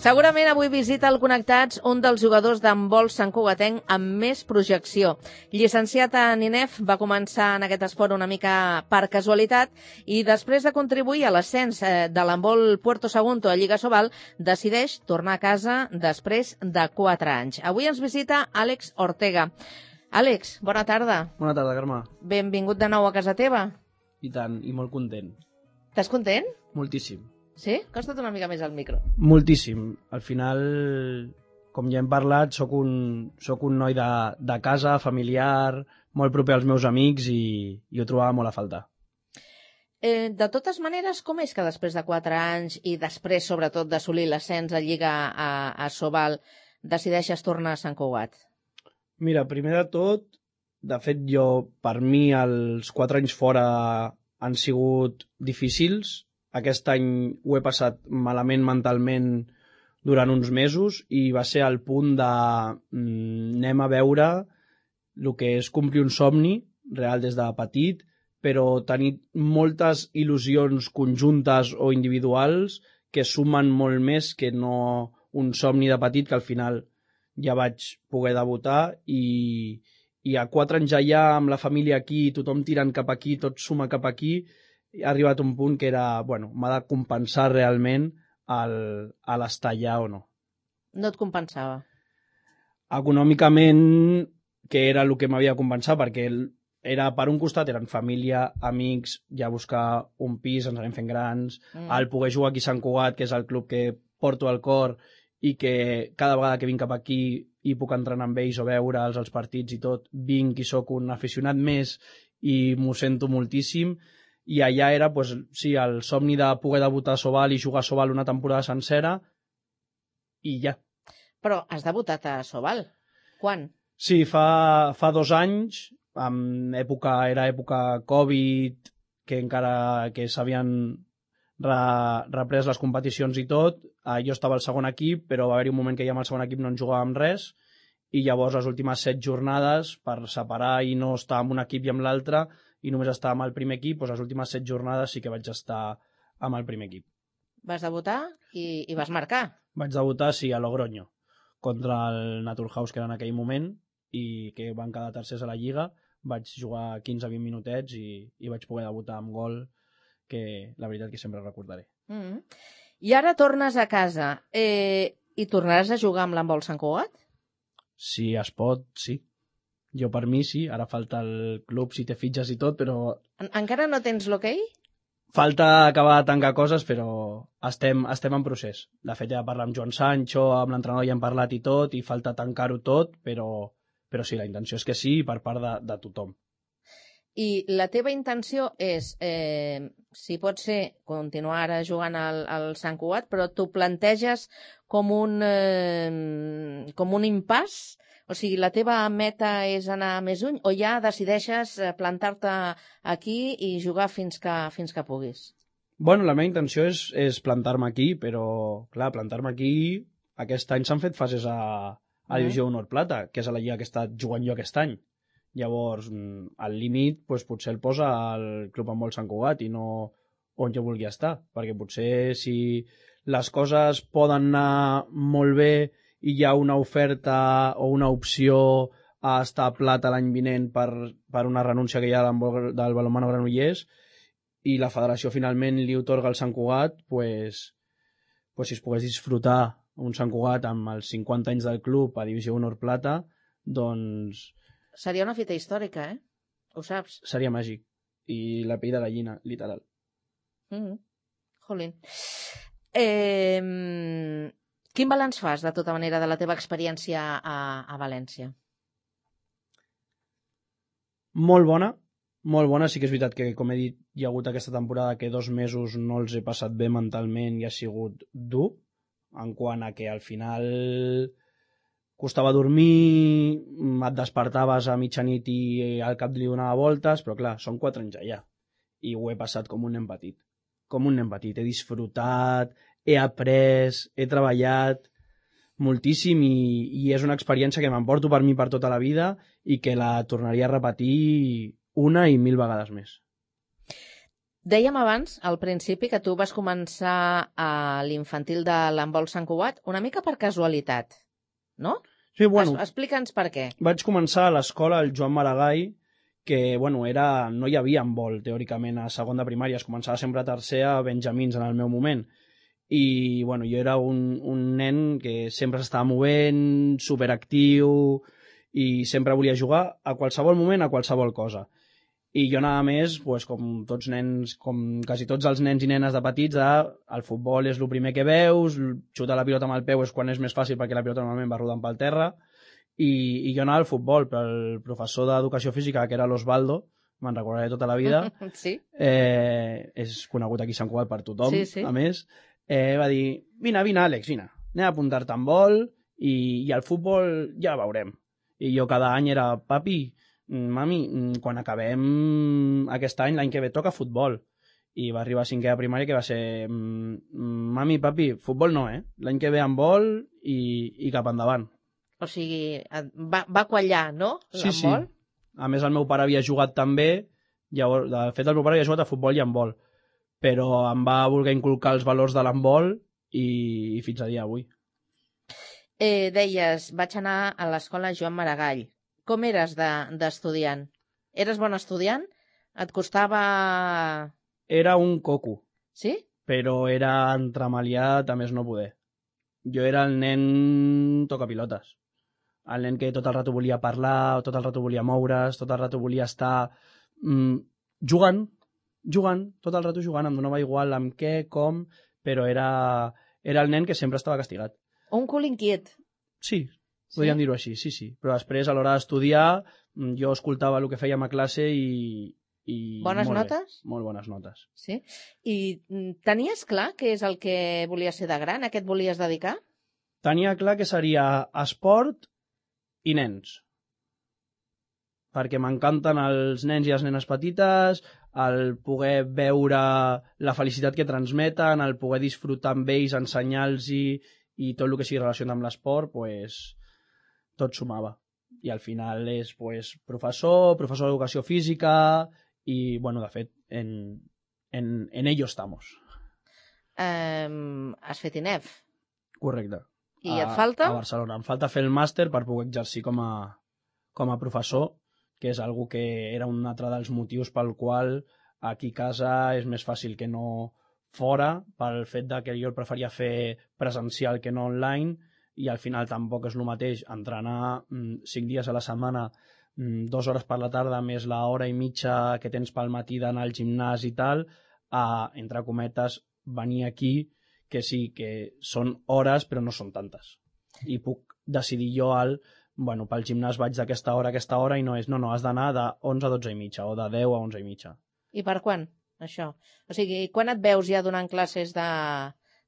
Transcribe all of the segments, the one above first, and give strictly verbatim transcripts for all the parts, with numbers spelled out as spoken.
Segurament avui visita al Connectats un dels jugadors d'handbol santcugatenc amb més projecció. Llicenciat en I N E F, va començar en aquest esport una mica per casualitat i després de contribuir a l'ascens de l'handbol Puerto Sagunto a Lliga Sobal, decideix tornar a casa després de quatre anys. Avui ens visita Àlex Ortega. Àlex, bona tarda. Bona tarda, Carme. Benvingut de nou a casa teva. I tant, i molt content. Estàs content? Moltíssim. Sí? Costa't una mica més al micro. Moltíssim. Al final, com ja hem parlat, soc un, soc un noi de, de casa, familiar, molt proper als meus amics i, i ho trobava molt a faltar. Eh, de totes maneres, com és que després de quatre anys i després, sobretot, d'assolir l'ascens a Lliga a, a Sobal, decideixes tornar a Sant Cugat? Mira, primer de tot, de fet, jo, per mi, els quatre anys fora han sigut difícils. Aquest any ho he passat malament mentalment durant uns mesos i va ser al punt de mm, anem a veure el que és complir un somni real des de petit, però tenir moltes il·lusions conjuntes o individuals que sumen molt més que no un somni de petit, que al final ja vaig poder debutar i, i a quatre anys allà amb la família aquí, tothom tirant cap aquí, tot suma cap aquí, ha arribat un punt que era, bueno, m'ha de compensar realment el, a l'estar allà o no. No et compensava? Econòmicament, que era el que m'havia de compensar, perquè era, per un costat eren família, amics, ja buscar un pis, ens anem fent grans, mm. el poder jugar aquí a Sant Cugat, que és el club que porto al cor i que cada vegada que vinc cap aquí i puc entrenar amb ells o veure'ls els partits i tot, vinc i sóc un aficionat més i m'ho sento moltíssim. I allà era, pues, sí, el somni de poder debutar a Sobal i jugar a Sobal una temporada sencera i ja. Però has debutat a Sobal? Quan? Sí, fa, fa dos anys, en època, era època Covid, que encara que s'havien re, reprès les competicions i tot, eh, jo estava al segon equip, però va haver-hi un moment que ja amb el segon equip no en jugàvem res, i llavors les últimes set jornades, per separar i no estar amb un equip i amb l'altre, i només estava amb el primer equip, doncs les últimes set jornades sí que vaig estar amb el primer equip. Vas debutar i, i vas marcar? Vaig debutar, sí, a Logroño, contra el Naturhaus, que era en aquell moment, i que van quedar tercers a la Lliga. Vaig jugar quinze a vint minutets i, i vaig poder debutar amb gol, que la veritat que sempre recordaré. Mm-hmm. I ara tornes a casa. Eh, I tornaràs a jugar amb l'handbol Sant Cugat? Si es pot, sí. Jo per mi sí, ara falta el club si té fitxes i tot, però... En encara no tens l'hoquei? Falta acabar de tancar coses, però estem, estem en procés. De fet, ja parlar amb Joan Sancho, amb l'entrenador ja hem parlat i tot, i falta tancar-ho tot, però, però sí, la intenció és que sí, per part de, de tothom. I la teva intenció és, eh, si pot ser, continuar ara jugant al, al Sant Cugat, però t'ho planteges com un, eh, com un impàs? O sigui, la teva meta és anar més lluny o ja decideixes plantar-te aquí i jugar fins que, fins que puguis? Bueno, la meva intenció és, és plantar-me aquí, però, clar, plantar-me aquí... Aquest any s'han fet fases a, a Divisió Honor Plata, que és a la lliga que he estat jugant jo aquest any. Llavors, al límit, doncs, potser el posa al Club Handbol Sant Cugat i no on jo vulgui estar, perquè potser si les coses poden anar molt bé i hi ha una oferta o una opció a estar a Plata l'any vinent per, per una renúncia que hi ha del balonmano Granollers i la federació finalment li otorga el Sant Cugat, pues, pues si es pogués disfrutar un Sant Cugat amb els cinquanta anys del club a Divisió Honor Plata, doncs... Seria una fita històrica, eh? Ho saps? Seria màgic. I la pell de gallina, literal. Mm-hmm. Jolín. Eh... Quin balanç fas, de tota manera, de la teva experiència a, a València? Molt bona, molt bona. Sí que és veritat que, com he dit, hi ha hagut aquesta temporada que dos mesos no els he passat bé mentalment i ha sigut dur, en quant a que al final costava dormir, et despertaves a mitjanit i al cap li donava voltes, però clar, són quatre anys allà. I ho he passat com un nen petit. Com un nen petit. He disfrutat, he après, he treballat moltíssim i, i és una experiència que m'emporto per mi per tota la vida i que la tornaria a repetir una i mil vegades més. Dèiem abans, al principi, que tu vas començar a l'infantil de l'handbol Sant Cugat una mica per casualitat, no? Sí, bueno, Es, explica'ns per què. vaig començar a l'escola el Joan Maragall, que, bueno, era, no hi havia handbol, teòricament, a segon de primària. Es començava sempre a tercer a Benjamins, en el meu moment. I, bueno, jo era un, un nen que sempre s'estava movent, superactiu, i sempre volia jugar a qualsevol moment, a qualsevol cosa. I jo anava més, pues, com tots nens, com quasi tots els nens i nenes de petits, de, el futbol és el primer que veus, xutar la pilota amb el peu és quan és més fàcil perquè la pilota normalment va rodant pel terra, i, i jo anava al futbol, però el professor d'educació física, que era l'Osvaldo, me'n recordaré tota la vida, sí. eh, és conegut aquí a Sant Cugat per tothom, sí, sí. a més, eh, va dir, vine, vine, Àlex, vine, anem a apuntar-te en vol i, i al futbol ja veurem. I jo cada any era, papi, mami, quan acabem aquest any, l'any que ve toca futbol. I va arribar a cinquè de primària que va ser, mami, papi, futbol no, eh? L'any que ve handbol i, i cap endavant. O sigui, va, va quallar, no? Sí, sí. A més, el meu pare havia jugat també, llavors, de fet, el meu pare havia jugat a futbol i handbol, però em va voler inculcar els valors de l'handbol i, i fins a dia d'avui. Eh, deies, vaig anar a l'escola Joan Maragall. Com eres d'estudiant? De, eres bon estudiant? Et costava... Era un coco. Sí? Però era entremaliat a més no poder. Jo era el nen tocapilotes. El nen que tot el rato volia parlar, tot el rato volia moure's, tot el rato volia estar mm, jugant, jugant, tot el rato jugant, em donava igual amb què, com, però era, era el nen que sempre estava castigat. Un cul inquiet. Sí, podríem sí? dir-ho així, sí, sí. Però després, a l'hora d'estudiar, jo escoltava el que fèiem a classe i... i bones molt notes? Bé, molt bones notes. Sí? I tenies clar què és el que volies ser de gran? A què et volies dedicar? Tenia clar que seria esport i nens. Perquè m'encanten els nens i les nenes petites, el poder veure la felicitat que transmeten, el poder disfrutar amb ells, ensenyar-los i, i tot el que sigui relacionat amb l'esport, pues, tot sumava. I al final és pues, professor, professor d'educació física i, bueno, de fet, en, en, en ello estamos. Um, has fet I N E F? Correcte. I a, et falta? A Barcelona. Em falta fer el màster per poder exercir com a, com a professor, que és algo que era un altre dels motius pel qual aquí a casa és més fàcil que no fora, pel fet de que jo el preferia fer presencial que no online, i al final tampoc és el mateix entrenar mm, cinc dies a la setmana, mm, dues hores per la tarda més l'hora i mitja que tens pel matí d'anar al gimnàs i tal, a, entre cometes, venir aquí, que sí, que són hores però no són tantes. I puc decidir jo al, bueno, pel gimnàs vaig d'aquesta hora a aquesta hora i no és, no, no, has d'anar de onze a dotze i mitja o de deu a onze i mitja. I per quan, això? O sigui, quan et veus ja donant classes de...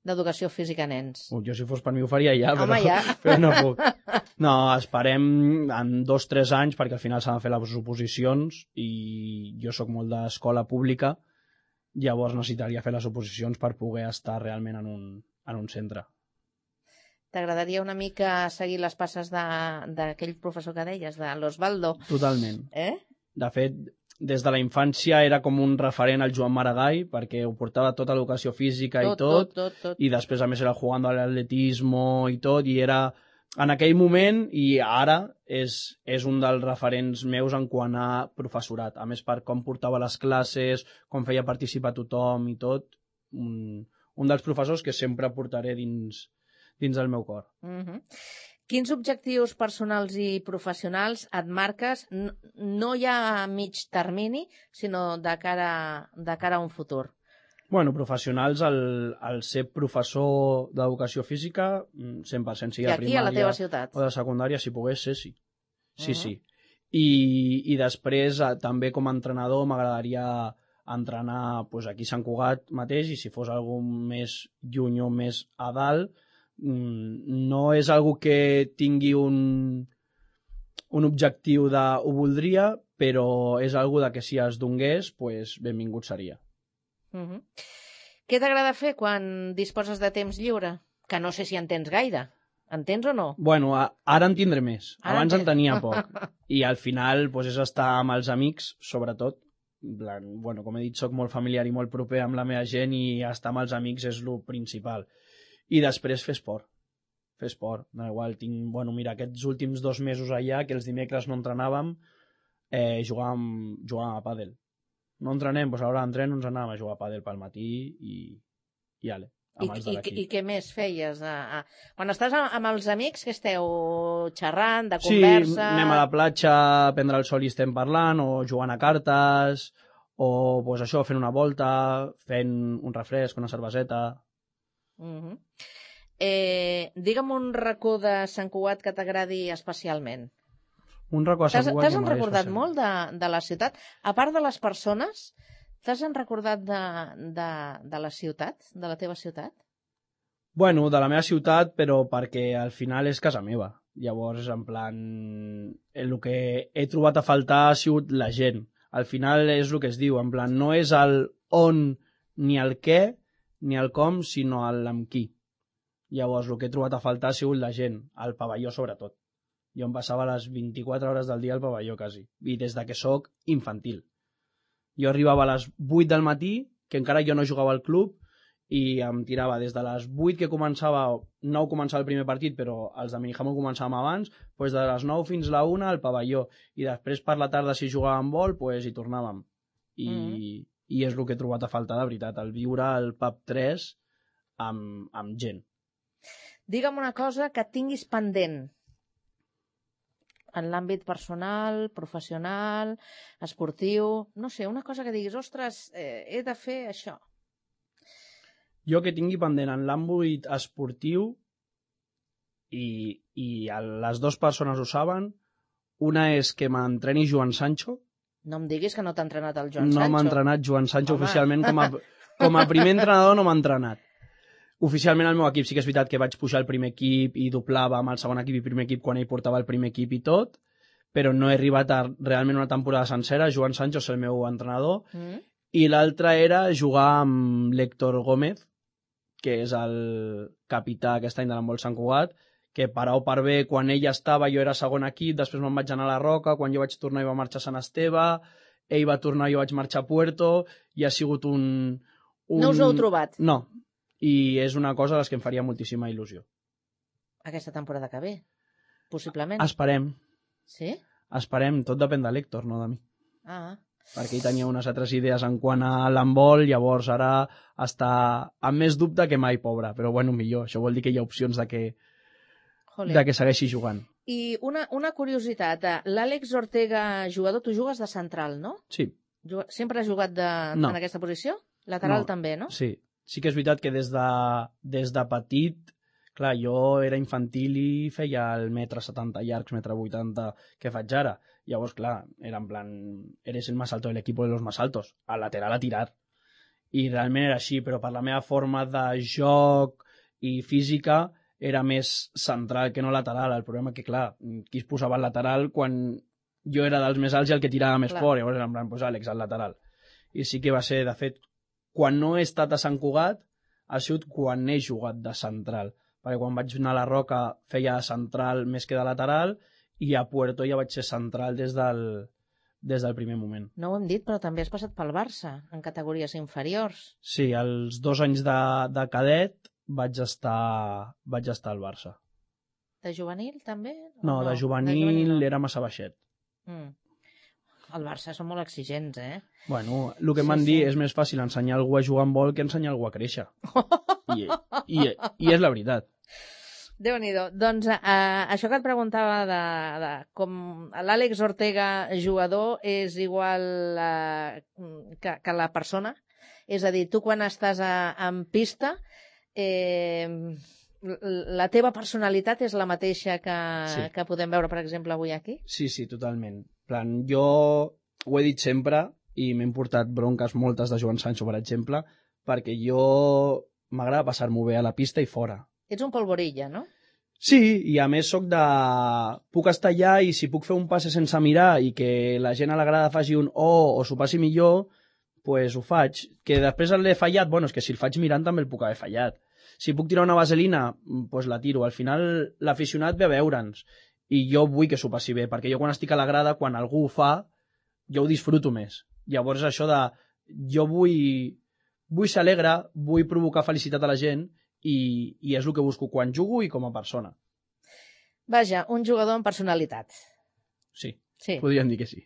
d'educació física a nens? Uh, jo si fos per mi ho faria ja, Home, però, ja. però no puc. No, esperem en dos o tres anys perquè al final s'han de fer les oposicions i jo sóc molt d'escola pública, llavors necessitaria fer les oposicions per poder estar realment en un, en un centre. T'agradaria una mica seguir les passes d'aquell professor que deies, de l'Osvaldo? Totalment. Eh? De fet, des de la infància era com un referent al Joan Maragall, perquè ho portava tota l'educació física tot, i tot, tot, tot, tot, i després a més era jugant a l'atletismo i tot, i era en aquell moment i ara és, és un dels referents meus en quant a professorat. A més, per com portava les classes, com feia participar tothom i tot, un, un dels professors que sempre portaré dins, dins del meu cor. Uh-huh. Quins objectius personals i professionals et marques, no, no ja a mig termini, sinó de cara, de cara a un futur? Bueno, professionals, el, el ser professor d'educació física, cent per cent, sigui I de aquí, primària a la teva ciutat? O de secundària, si pogués ser, sí. Sí, uh-huh. sí. I, i després, també com a entrenador, m'agradaria entrenar pues, aquí a Sant Cugat mateix, i si fos algú més lluny o més a dalt, no és algo que tingui un, un objectiu de ho voldria, però és algo de que si es donés, pues, benvingut seria. Uh-huh. Què t'agrada fer quan disposes de temps lliure? Que no sé si en tens gaire. En tens o no? Bueno, a, ara en tindré més. Ara Abans en, en tenia poc. I al final pues, és estar amb els amics, sobretot. bueno, com he dit, soc molt familiar i molt proper amb la meva gent i estar amb els amics és el principal. I després fer esport. Fer esport. No, igual, tinc, bueno, mira, aquests últims dos mesos allà, que els dimecres no entrenàvem, eh, jugàvem, jugàvem a pàdel. No entrenem, doncs a l'hora d'entreno ens anàvem a jugar a pàdel pel matí i, i ale. I, i, I què més feies? A, a... Quan estàs amb els amics, què esteu xerrant, de conversa? Sí, anem a la platja a prendre el sol i estem parlant, o jugant a cartes, o pues, això, fent una volta, fent un refresc, una cerveseta... Uh-huh. eh, digue'm un racó de Sant Cugat que t'agradi especialment. Un racó de Sant Cugat... T'has recordat molt de, de la ciutat? A part de les persones... T'has recordat de, de, de la ciutat, de la teva ciutat? Bueno, de la meva ciutat, però perquè al final és casa meva. Llavors, en plan, el que he trobat a faltar ha sigut la gent. Al final és el que es diu, en plan, no és el on ni el què ni el com, sinó el amb qui. Llavors, el que he trobat a faltar ha sigut la gent, al pavelló sobretot. Jo em passava les vint-i-quatre hores del dia al pavelló, quasi, i des de que sóc infantil. Jo arribava a les vuit del matí, que encara jo no jugava al club, i em tirava des de les vuit que començava, nou començava el primer partit, però els de Minijamo començàvem abans, doncs de les nou fins a la una al pavelló, i després per la tarda si jugàvem vol, doncs hi tornàvem. I, mm. i és el que he trobat a faltar de veritat, el viure al pub tres amb, amb gent. Digue'm una cosa que tinguis pendent, en l'àmbit personal, professional, esportiu, no sé, una cosa que diguis, ostres, eh, he de fer això. Jo que tingui pendent en l'àmbit esportiu, i, i les dues persones ho saben, una és que m'entreni Joan Sancho. No em diguis que no t'ha entrenat el Joan no Sancho. No m'ha entrenat Joan Sancho. Home. Oficialment, com a, com a primer entrenador no m'ha entrenat. Oficialment el meu equip sí que és veritat que vaig pujar al primer equip i doblava amb el segon equip i primer equip quan ell portava el primer equip i tot, però no he arribat a realment una temporada sencera. Joan Sancho és el meu entrenador. Mm. I l'altra era jugar amb l'Héctor Gómez, que és el capità aquest any de l'handbol Sant Cugat, que per A o per B, quan ell estava jo era segon equip, després me'n vaig anar a la Roca, quan jo vaig tornar i va marxar a Sant Esteve, ell va tornar i jo vaig marxar a Puerto, i ha sigut un... un... No us heu trobat? No. I és una cosa a les que em faria moltíssima il·lusió. Aquesta temporada que ve, possiblement. Esperem. Sí? Esperem, tot depèn de l'Héctor, no de mi. Ah. Perquè ell tenia unes altres idees en quant a l'handbol, llavors ara està amb més dubte que mai, pobre. Però bueno, millor, això vol dir que hi ha opcions de que, de que segueixi jugant. I una, una curiositat, l'Àlex Ortega, jugador, tu jugues de central, no? Sí. Sempre has jugat de, no. en aquesta posició? Lateral no. també, no? Sí. Sí que és veritat que des de, des de petit, clar, jo era infantil i feia el metre setanta llargs, metre vuitanta que faig ara. Llavors, clar, era en plan, eres el más alto del equipo de los más altos, al lateral a tirar. I realment era així, però per la meva forma de joc i física era més central que no lateral. El problema que, clar, qui es posava al lateral quan jo era dels més alts i el que tirava més clar. Fort, llavors era en plan, pues Àlex, al lateral. I sí que va ser, de fet, quan no he estat a Sant Cugat, ha sigut quan he jugat de central. Perquè quan vaig anar a la Roca feia central més que de lateral i a Puerto ja vaig ser central des del, des del primer moment. No ho hem dit, però també has passat pel Barça, en categories inferiors. Sí, els dos anys de, de cadet vaig estar, vaig estar al Barça. De juvenil també? No, no, de juvenil, de juvenil no. Era massa baixet. Mm. El Barça són molt exigents, eh? Bueno, el que sí, m'han sí. dit és més fàcil ensenyar algú a jugar en vol que ensenyar algú a créixer. I, i, I és la veritat. Déu-n'hi-do. Doncs eh, això que et preguntava de, de com l'Àlex Ortega jugador és igual eh, que, que la persona. És a dir, tu quan estàs a, en pista, eh, la teva personalitat és la mateixa que, sí. que podem veure, per exemple, avui aquí? Sí, sí, totalment. Plan, jo ho he dit sempre i m'he portat bronques moltes de Joan Sancho, per exemple, perquè jo m'agrada passar-m'ho bé a la pista i fora. Ets un polvorilla, no? Sí, i a més soc de... Puc estar allà i si puc fer un passe sense mirar i que la gent a la grada faci un oh o s'ho passi millor, pues ho faig. Que després l'he fallat, bueno, és que si el faig mirant també el puc haver fallat. Si puc tirar una vaselina, pues la tiro. Al final l'aficionat ve a veure'ns. I jo vull que s'ho passi bé, perquè jo quan estic a la grada, quan algú ho fa, jo ho disfruto més. Llavors això de jo vull, vull ser alegre, vull provocar felicitat a la gent i, i és el que busco quan jugo i com a persona. Vaja, un jugador amb personalitat. Sí, sí. Podríem dir que sí.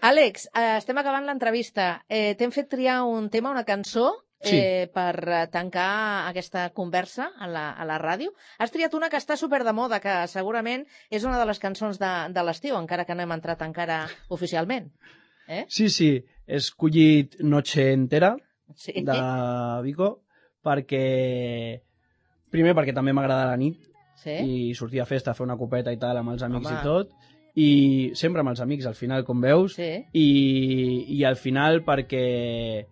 Àlex, eh, estem acabant l'entrevista. Eh, T'hem fet triar un tema, una cançó, eh, sí. per tancar aquesta conversa a la, a la ràdio. Has triat una que està super de moda, que segurament és una de les cançons de, de l'estiu, encara que no hem entrat encara oficialment. Eh? Sí, sí, he escollit Noche Entera, sí. de Vico, perquè... Primer, perquè també m'agrada la nit, sí. I sortir a festa, fer una copeta i tal, amb els amics Home. I tot, i sempre amb els amics, al final, com veus, sí. I, i al final perquè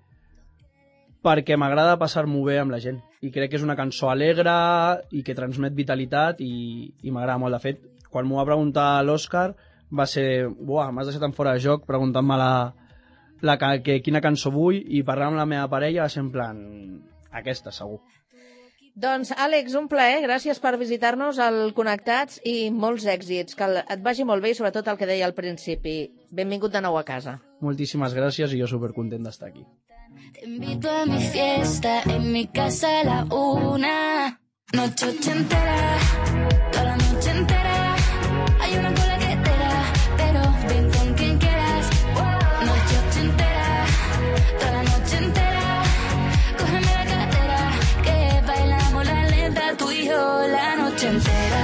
perquè m'agrada passar-m'ho bé amb la gent, i crec que és una cançó alegre i que transmet vitalitat i, i m'agrada molt. De fet, quan m'ho va preguntar l'Òscar va ser, buah, m'has deixat en fora de joc preguntant-me la, la, que, quina cançó vull, i parlar amb la meva parella va ser en plan, aquesta segur. Doncs, Àlex, un plaer, gràcies per visitar-nos al Connectats i molts èxits, que et vagi molt bé i sobretot el que deia al principi. Benvingut de nou a casa. Moltíssimes gràcies i jo supercontent d'estar aquí. Te invito a mi fiesta, en mi casa a la una, noche ochentera, toda la noche entera, hay una cola que te da, pero ven con quien quieras, noche ochentera, toda la noche entera, cógeme la cartera, que bailamos la lenta, tú y yo la noche entera,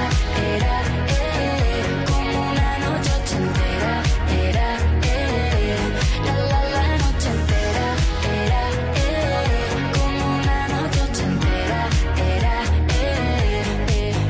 era, eh, como una noche ochentera, era, eh, la la la noche entera, era, eh, como una noche ochentera, era, eh, eh, eh,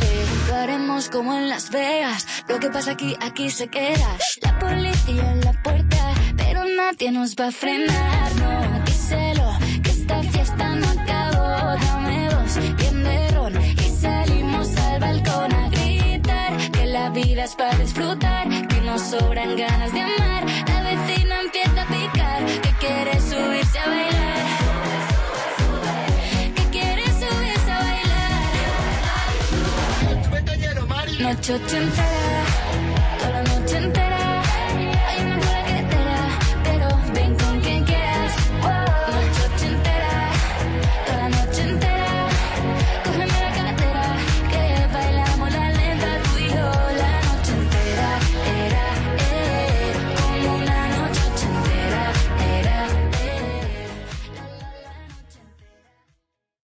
eh, lo haremos como en Las Vegas, lo que pasa aquí, aquí se queda, la policía en la puerta, pero nadie nos va a frenar, no, díselo, que esta fiesta no acabó, dame dos, bien de ron, y salimos al balcón a gritar, que la vida es para disfrutar, que nos sobran ganas de amar, la vecina empieza a picar, que quiere subirse a bailar, que quiere subirse a bailar, noche ochentera.